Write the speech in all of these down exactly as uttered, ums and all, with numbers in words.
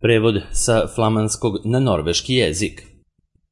Prevod sa flamanskog na norveški jezik.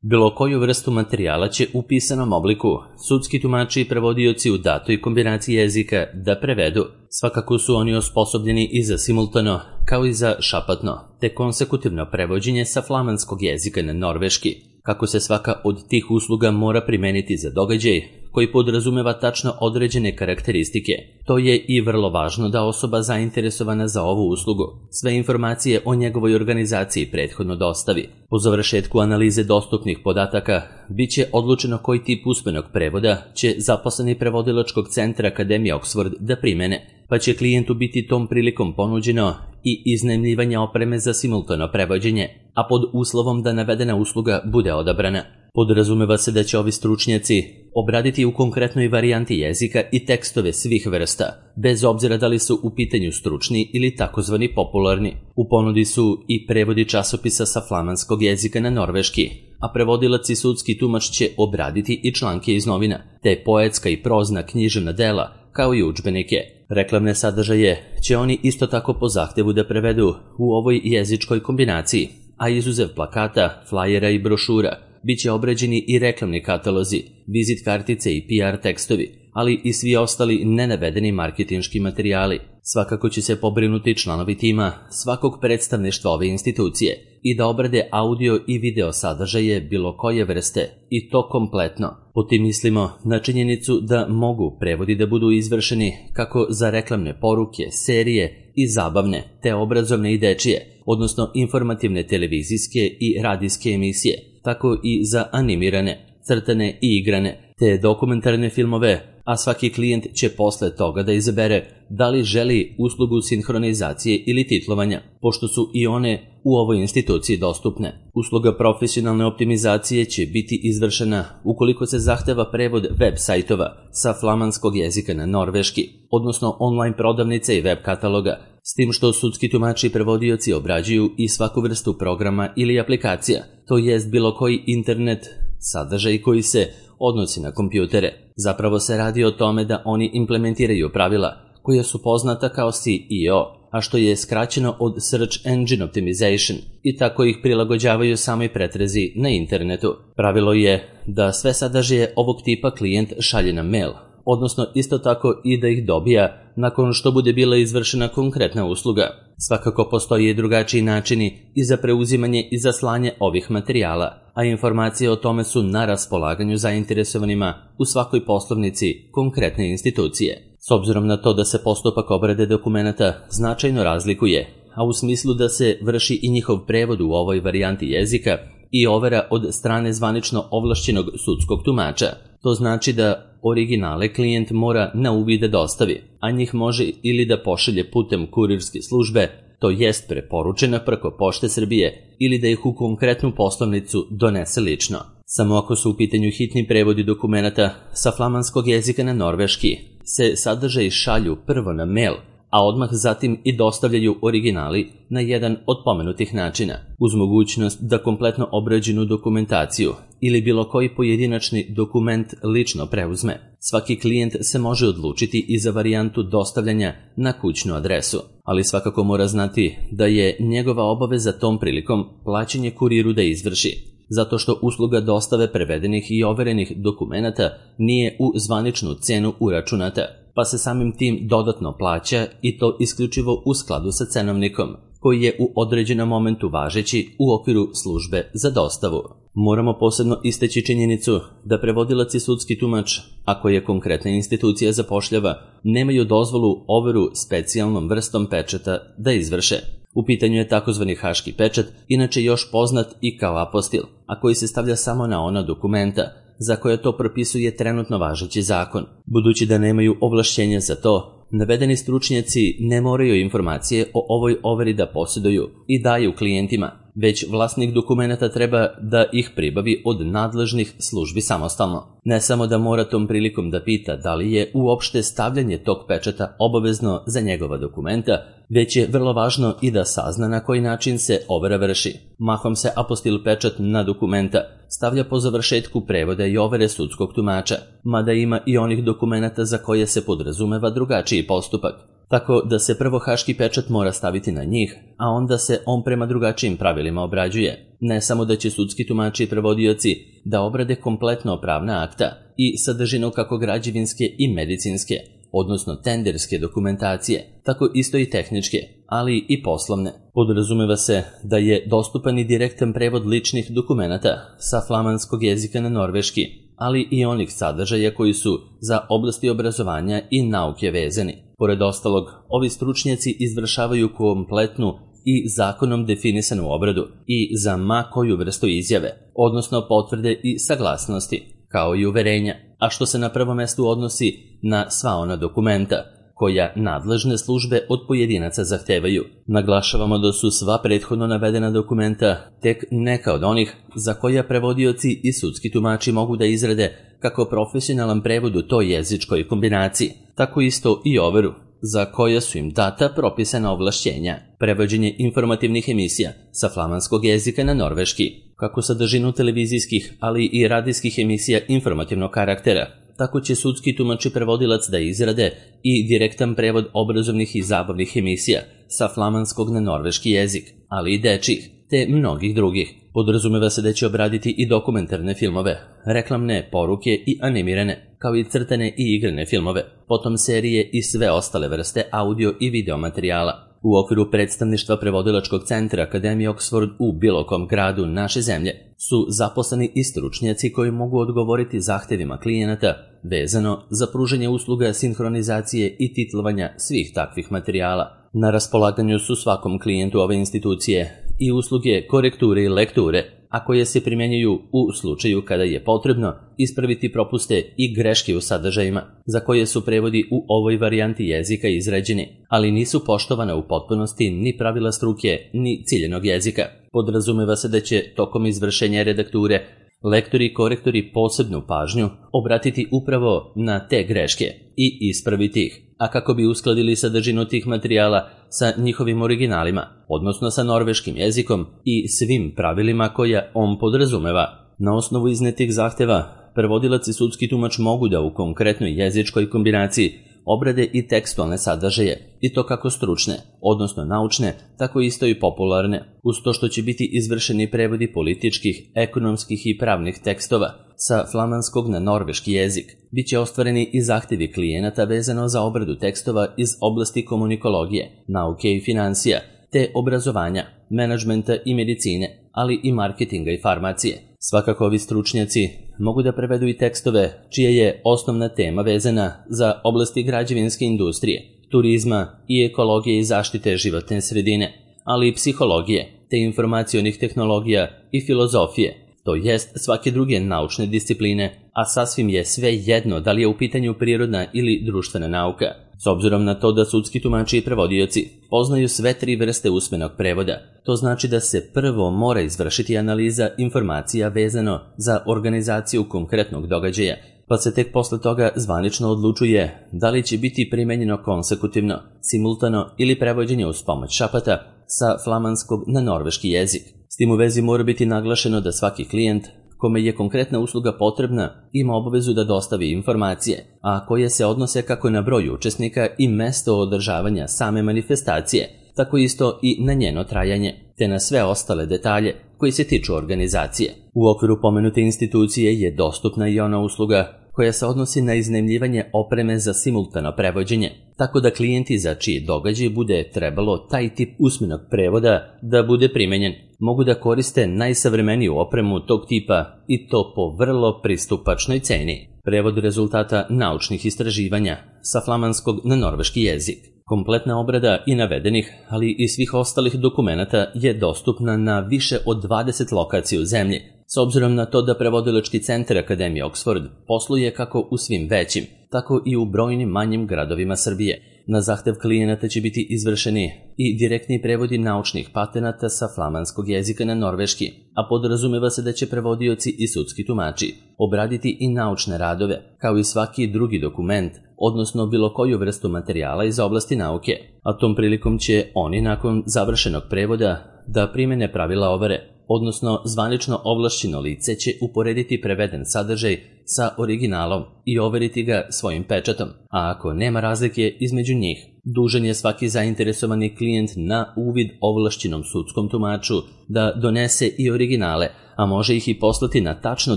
Bilo koju vrstu materijala će u pisanom obliku sudski tumači i prevodioci u datoj kombinaciji jezika da prevedu. Svakako su oni osposobljeni i za simultano, kao i za šapatno, te konsekutivno prevođenje sa flamanskog jezika na norveški, kako se svaka od tih usluga mora primeniti za događaj koji podrazumeva tačno određene karakteristike. To je i vrlo važno da osoba zainteresovana za ovu uslugu sve informacije o njegovoj organizaciji prethodno dostavi. Po završetku analize dostupnih podataka bit će odlučeno koji tip usmenog prevoda će zaposleni prevodilačkog centra Akademije Oxford da primene, pa će klijentu biti tom prilikom ponuđeno i iznajmljivanje opreme za simultano prevođenje, a pod uslovom da navedena usluga bude odabrana. Podrazumeva se da će ovi stručnjaci obraditi u konkretnoj varijanti jezika i tekstove svih vrsta, bez obzira da li su u pitanju stručni ili takozvani popularni. U ponudi su i prevodi časopisa sa flamanskog jezika na norveški, a prevodilac i sudski tumač će obraditi i članke iz novina, te poetska i prozna književna dela, kao i udžbenike. Reklamne sadržaje će oni isto tako po zahtevu da prevedu u ovoj jezičkoj kombinaciji, a izuzev plakata, flajera i brošura, bit će obrađeni i reklamni katalozi, vizit kartice i P R tekstovi, ali i svi ostali nenavedeni marketinški materijali. Svakako će se pobrinuti članovi tima svakog predstavništva ove institucije i da obrade audio i video sadržaje bilo koje vrste, i to kompletno. Po tim mislimo na činjenicu da mogu prevodi da budu izvršeni kako za reklamne poruke, serije i zabavne, te obrazovne i dečije, odnosno informativne televizijske i radijske emisije, tako i za animirane, crtane i igrane, te dokumentarne filmove, a svaki klijent će posle toga da izabere da li želi uslugu sinhronizacije ili titlovanja, pošto su i one u ovoj instituciji dostupne. Usluga profesionalne optimizacije će biti izvršena ukoliko se zahteva prevod web sajtova sa flamanskog jezika na norveški, odnosno online prodavnice i web kataloga, s tim što sudski tumači i prevodioci obrađuju i svaku vrstu programa ili aplikacija, to jest bilo koji internet sadržaj koji se odnosi na kompjutere. Zapravo se radi o tome da oni implementiraju pravila koja su poznata kao S E O, a što je skraćeno od Search Engine Optimization, i tako ih prilagođavaju samoj pretrazi na internetu. Pravilo je da sve sadržaje ovog tipa klijent šalje na mail, odnosno isto tako i da ih dobija nakon što bude bila izvršena konkretna usluga. Svakako postoji i drugačiji načini i za preuzimanje i za slanje ovih materijala, a informacije o tome su na raspolaganju zainteresovanima u svakoj poslovnici konkretne institucije. S obzirom na to da se postupak obrade dokumenata značajno razlikuje, a u smislu da se vrši i njihov prevod u ovoj varijanti jezika i overa od strane zvanično ovlašćenog sudskog tumača, to znači da originale klijent mora na uvid da dostavi, a njih može ili da pošalje putem kurirske službe, to jest preporučena preko Pošte Srbije, ili da ih u konkretnu poslovnicu donese lično. Samo ako su u pitanju hitni prevodi dokumenata sa flamanskog jezika na norveški, se sadržaji šalju prvo na mail, a odmah zatim i dostavljaju originali na jedan od pomenutih načina, uz mogućnost da kompletno obrađenu dokumentaciju ili bilo koji pojedinačni dokument lično preuzme. Svaki klijent se može odlučiti i za varijantu dostavljanja na kućnu adresu, ali svakako mora znati da je njegova obaveza tom prilikom plaćanje kuriru da izvrši, zato što usluga dostave prevedenih i overenih dokumenata nije u zvaničnu cenu uračunata, pa se samim tim dodatno plaća, i to isključivo u skladu sa cenovnikom, koji je u određenom momentu važeći u okviru službe za dostavu. Moramo posebno istaći činjenicu da prevodilac i sudski tumač, ako je konkretna institucija zapošljava, nemaju dozvolu overu specijalnom vrstom pečata da izvrše. U pitanju je takozvani haški pečat, inače još poznat i kao apostil, a koji se stavlja samo na ona dokumenta za koje to propisuje trenutno važeći zakon. Budući da nemaju ovlašćenja za to, navedeni stručnjaci ne moraju informacije o ovoj overi da posjeduju i daju klijentima, već vlasnik dokumenata treba da ih pribavi od nadležnih službi samostalno. Ne samo da mora tom prilikom da pita da li je uopšte stavljanje tog pečata obavezno za njegova dokumenta, već je vrlo važno i da sazna na koji način se overa vrši. Mahom se apostil pečat na dokumenta stavlja po završetku prevoda i overe sudskog tumača, mada ima i onih dokumenata za koje se podrazumeva drugačiji postupak. tako da se prvo haški pečat mora staviti na njih, a onda se on prema drugačijim pravilima obrađuje. Ne samo da će sudski tumači i prevodioci da obrade kompletno pravna akta i sadržinu kako građevinske i medicinske, odnosno tenderske dokumentacije, tako isto i tehničke, ali i poslovne. Podrazumeva se da je dostupan i direktan prevod ličnih dokumenata sa flamanskog jezika na norveški, ali i onih sadržaja koji su za oblasti obrazovanja i nauke vezani. Pored ostalog, ovi stručnjaci izvršavaju kompletnu i zakonom definisanu obradu i za ma koju vrstu izjave, odnosno potvrde i saglasnosti, kao i uverenja, a što se na prvom mestu odnosi na sva ona dokumenta koja nadležne službe od pojedinaca zahtevaju. Naglašavamo da su sva prethodno navedena dokumenta tek neka od onih za koja prevodioci i sudski tumači mogu da izrade kako profesionalan prevod u toj jezičkoj kombinaciji, tako isto i overu, za koja su im data propisana ovlašćenja, prevođenje informativnih emisija sa flamanskog jezika na norveški, kako sadržinu televizijskih, ali i radijskih emisija informativnog karaktera, tako će sudski tumač i prevodilac da izrade i direktan prevod obrazovnih i zabavnih emisija sa flamanskog na norveški jezik, ali i dečjih, te mnogih drugih. Podrazumeva se da će obraditi i dokumentarne filmove, reklamne poruke i animirane, kao i crtane i igrane filmove, potom serije i sve ostale vrste audio i video materijala. U okviru predstavništva prevodilačkog centra Akademije Oxford u bilo kom gradu naše zemlje su zaposleni i stručnjaci koji mogu odgovoriti zahtevima klijenata vezano za pružanje usluga sinhronizacije i titlovanja svih takvih materijala. Na raspolaganju su svakom klijentu ove institucije i usluge korekture i lekture, a koje se primjenjuju u slučaju kada je potrebno ispraviti propuste i greške u sadržajima, za koje su prevodi u ovoj varijanti jezika izrađeni, ali nisu poštovana u potpunosti ni pravila struke, ni ciljenog jezika. Podrazumeva se da će tokom izvršenja redakture lektori i korektori posebnu pažnju obratiti upravo na te greške i ispraviti ih, a kako bi uskladili sadržinu tih materijala sa njihovim originalima, odnosno sa norveškim jezikom i svim pravilima koja on podrazumeva. Na osnovu iznetih zahteva, prevodilac i sudski tumač mogu da u konkretnoj jezičkoj kombinaciji obrade i tekstualne sadržaje, i to kako stručne, odnosno naučne, tako isto i popularne, uz to što će biti izvršeni prevodi političkih, ekonomskih i pravnih tekstova sa flamanskog na norveški jezik. Biće ostvareni i zahtevi klijenata vezano za obradu tekstova iz oblasti komunikologije, nauke i financija, te obrazovanja, menadžmenta i medicine, ali i marketinga i farmacije. Svakako ovi stručnjaci mogu da prevedu i tekstove čija je osnovna tema vezana za oblasti građevinske industrije, turizma i ekologije i zaštite životne sredine, ali i psihologije, te informacionih tehnologija i filozofije, to jest svake druge naučne discipline, a sasvim je sve jedno da li je u pitanju prirodna ili društvena nauka. S obzirom na to da sudski tumači i prevodioci poznaju sve tri vrste usmenog prevoda, to znači da se prvo mora izvršiti analiza informacija vezano za organizaciju konkretnog događaja, pa se tek posle toga zvanično odlučuje da li će biti primenjeno konsekutivno, simultano ili prevođenje uz pomoć šapata sa flamanskog na norveški jezik. S tim u vezi mora biti naglašeno da svaki klijent kome je konkretna usluga potrebna ima obavezu da dostavi informacije, a koje se odnose kako na broj učesnika i mesto održavanja same manifestacije, tako isto i na njeno trajanje, te na sve ostale detalje koji se tiču organizacije. U okviru pomenute institucije je dostupna i ona usluga koja se odnosi na iznajmljivanje opreme za simultano prevođenje, tako da klijenti za čiji događaj bude trebalo taj tip usmenog prevoda da bude primenjen, mogu da koriste najsavremeniju opremu tog tipa i to po vrlo pristupačnoj ceni. Prevod rezultata naučnih istraživanja sa flamanskog na norveški jezik. Kompletna obrada i navedenih, ali i svih ostalih dokumenata je dostupna na više od dvadeset lokacija u zemlji, s obzirom na to da prevodilački centar Akademije Oxford posluje kako u svim većim, tako i u brojnim manjim gradovima Srbije. Na zahtev klijenata će biti izvršeni i direktni prevodi naučnih patenata sa flamanskog jezika na norveški, a podrazumeva se da će prevodioci i sudski tumači obraditi i naučne radove, kao i svaki drugi dokument, odnosno bilo koju vrstu materijala iz oblasti nauke, a tom prilikom će oni nakon završenog prevoda da primene pravila overe, odnosno zvanično ovlašćeno lice će uporediti preveden sadržaj sa originalom i overiti ga svojim pečatom, a ako nema razlike između njih, Dužan je svaki zainteresovani klijent na uvid ovlašćenom sudskom tumaču da donese i originale, a može ih i poslati na tačno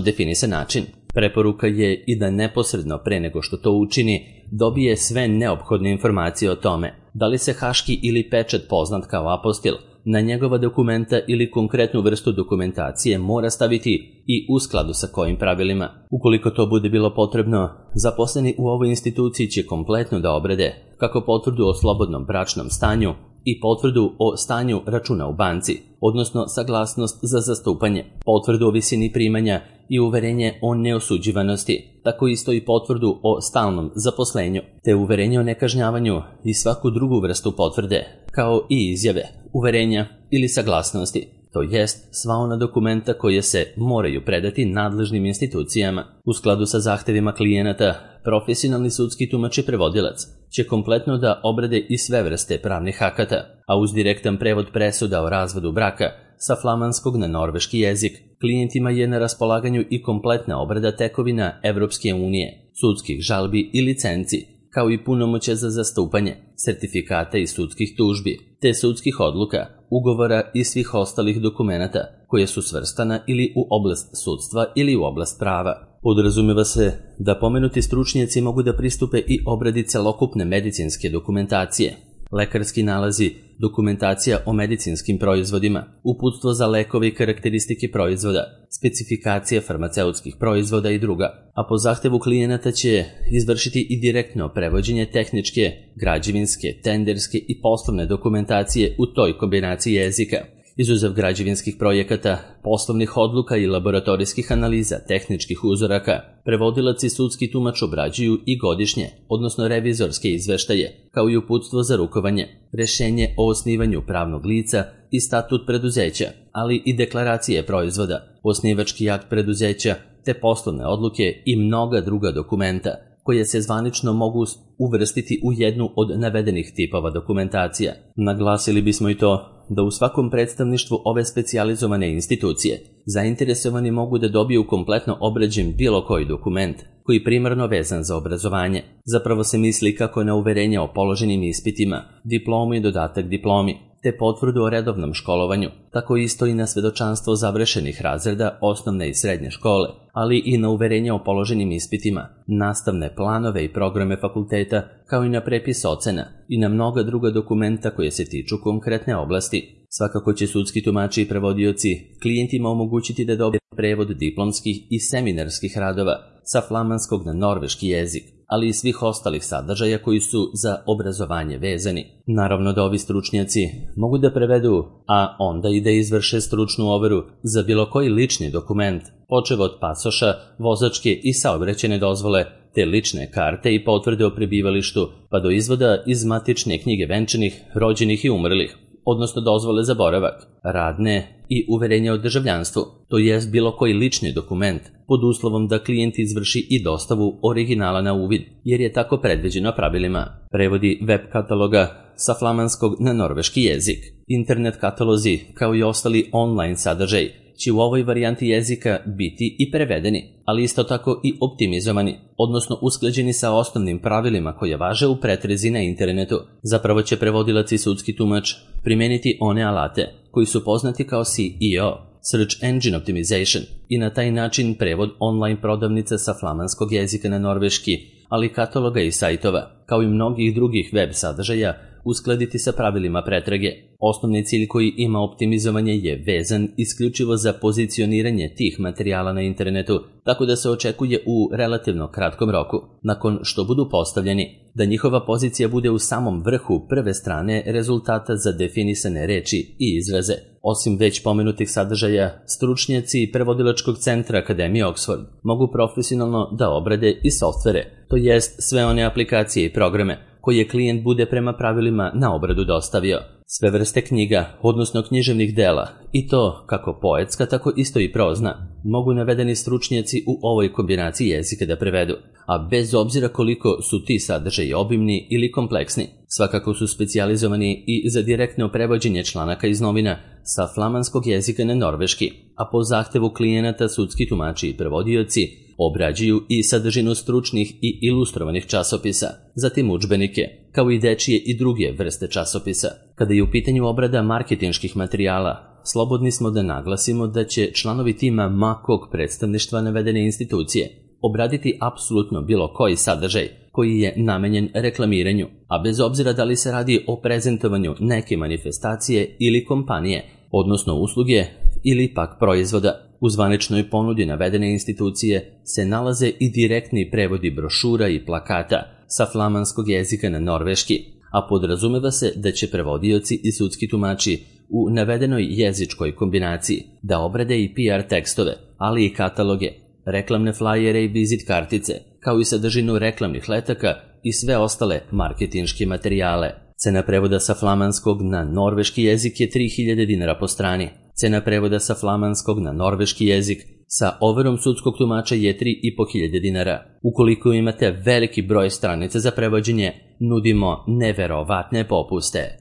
definisan način. Preporuka je i da neposredno pre nego što to učini dobije sve neophodne informacije o tome da li se haški ili pečat poznat kao apostil na njegova dokumenta ili konkretnu vrstu dokumentacije mora staviti i u skladu sa kojim pravilima. Ukoliko to bude bilo potrebno, zaposleni u ovoj instituciji će kompletno da obrade kako potvrdu o slobodnom bračnom stanju i potvrdu o stanju računa u banci, odnosno saglasnost za zastupanje, potvrdu o visini primanja i uverenje o neosuđivanosti, tako isto i potvrdu o stalnom zaposlenju, te uverenje o nekažnjavanju i svaku drugu vrstu potvrde, kao i izjave, uverenja ili saglasnosti, to jest sva ona dokumenta koje se moraju predati nadležnim institucijama. U skladu sa zahtevima klijenata, profesionalni sudski tumač i prevodilac će kompletno da obrade i sve vrste pravnih akata, a uz direktan prevod presuda o razvodu braka sa flamanskog na norveški jezik, klijentima je na raspolaganju i kompletna obrada tekovina Evropske unije, sudskih žalbi i licenci, kao i punomoćja za zastupanje, sertifikata i sudskih tužbi, te sudskih odluka, ugovora i svih ostalih dokumenata koje su svrstana ili u oblast sudstva ili u oblast prava. Podrazumeva se da pomenuti stručnjaci mogu da pristupe i obradi celokupne medicinske dokumentacije, lekarski nalazi, dokumentacija o medicinskim proizvodima, uputstvo za lekove i karakteristike proizvoda, specifikacije farmaceutskih proizvoda i druga, a po zahtevu klijenata će izvršiti i direktno prevođenje tehničke, građevinske, tenderske i poslovne dokumentacije u toj kombinaciji jezika. Izuzev građevinskih projekata, poslovnih odluka i laboratorijskih analiza tehničkih uzoraka, prevodilac i sudski tumač obrađuju i godišnje, odnosno revizorske izveštaje, kao i uputstvo za rukovanje, rešenje o osnivanju pravnog lica i statut preduzeća, ali i deklaracije proizvoda, osnivački akt preduzeća, te poslovne odluke i mnoga druga dokumenta, koje se zvanično mogu uvrstiti u jednu od navedenih tipova dokumentacija. Naglasili bismo i to da u svakom predstavništvu ove specijalizovane institucije zainteresovani mogu da dobiju kompletno obrađen bilo koji dokument koji primarno vezan za obrazovanje. Zapravo se misli kako na uverenje o položenim ispitima, diplomu i dodatak diplomi, te potvrdu o redovnom školovanju, tako isto i na svedočanstvo završenih razreda osnovne i srednje škole, ali i na uverenje o položenim ispitima, nastavne planove i programe fakulteta, kao i na prepis ocena i na mnoga druga dokumenta koje se tiču konkretne oblasti. Svakako će sudski tumači i prevodioci klijentima omogućiti da dobije prevod diplomskih i seminarskih radova sa flamanskog na norveški jezik, ali i svih ostalih sadržaja koji su za obrazovanje vezani. Naravno da ovi stručnjaci mogu da prevedu, a onda i da izvrše stručnu overu za bilo koji lični dokument, počev od pasoša, vozačke i saobraćajne dozvole, te lične karte i potvrde o prebivalištu, pa do izvoda iz matične knjige venčanih, rođenih i umrlih, odnosno dozvole za boravak, radne i uverenja o državljanstvu, to jest bilo koji lični dokument, pod uslovom da klijent izvrši i dostavu originala na uvid, jer je tako predviđeno pravilima. Prevodi web kataloga sa flamanskog na norveški jezik, internet katalozi, kao i ostali online sadržaj, će u ovoj varijanti jezika biti i prevedeni, ali isto tako i optimizovani, odnosno usklađeni sa osnovnim pravilima koje važe u pretrezi na internetu. Zapravo će prevodilac i sudski tumač primeniti one alate koji su poznati kao S E O, Search Engine Optimization, i na taj način prevod online prodavnica sa flamanskog jezika na norveški, ali kataloga i sajtova, kao i mnogih drugih web sadržaja, uskladiti sa pravilima pretrage. Osnovni cilj koji ima optimizovanje je vezan isključivo za pozicioniranje tih materijala na internetu, tako da se očekuje u relativno kratkom roku, nakon što budu postavljeni, da njihova pozicija bude u samom vrhu prve strane rezultata za definisane reči i izraze. Osim već pomenutih sadržaja, stručnjaci prevodilačkog centra Akademije Oxford mogu profesionalno da obrade i softvere, to jest sve one aplikacije i programe koje klijent bude prema pravilima na obradu dostavio. Sve vrste knjiga, odnosno književnih dela, i to kako poetska, tako isto i prozna, mogu navedeni stručnjaci u ovoj kombinaciji jezika da prevedu, a bez obzira koliko su ti sadržaji obimni ili kompleksni, svakako su specijalizovani i za direktno prevođenje članaka iz novina sa flamanskog jezika na norveški, a po zahtevu klijenata sudski tumači i prevodioci obrađuju i sadržinu stručnih i ilustrovanih časopisa, zatim udžbenike, kao i dečije i druge vrste časopisa. Kada je u pitanju obrada marketinških materijala, slobodni smo da naglasimo da će članovi tima ma kog predstavništva navedene institucije obraditi apsolutno bilo koji sadržaj koji je namenjen reklamiranju, a bez obzira da li se radi o prezentovanju neke manifestacije ili kompanije, odnosno usluge ili pak proizvoda. U zvaničnoj ponudi navedene institucije se nalaze i direktni prevodi brošura i plakata sa flamanskog jezika na norveški, a podrazumeva se da će prevodioci i sudski tumači u navedenoj jezičkoj kombinaciji da obrade i P R tekstove, ali i kataloge, reklamne flajere i vizit kartice, kao i sadržinu reklamnih letaka i sve ostale marketinške materijale. Cena prevoda sa flamanskog na norveški jezik je tri hiljade dinara po strani. Cena prevoda sa flamanskog na norveški jezik sa overom sudskog tumača je tri i po hiljade dinara. Ukoliko imate veliki broj stranica za prevođenje, nudimo neverovatne popuste.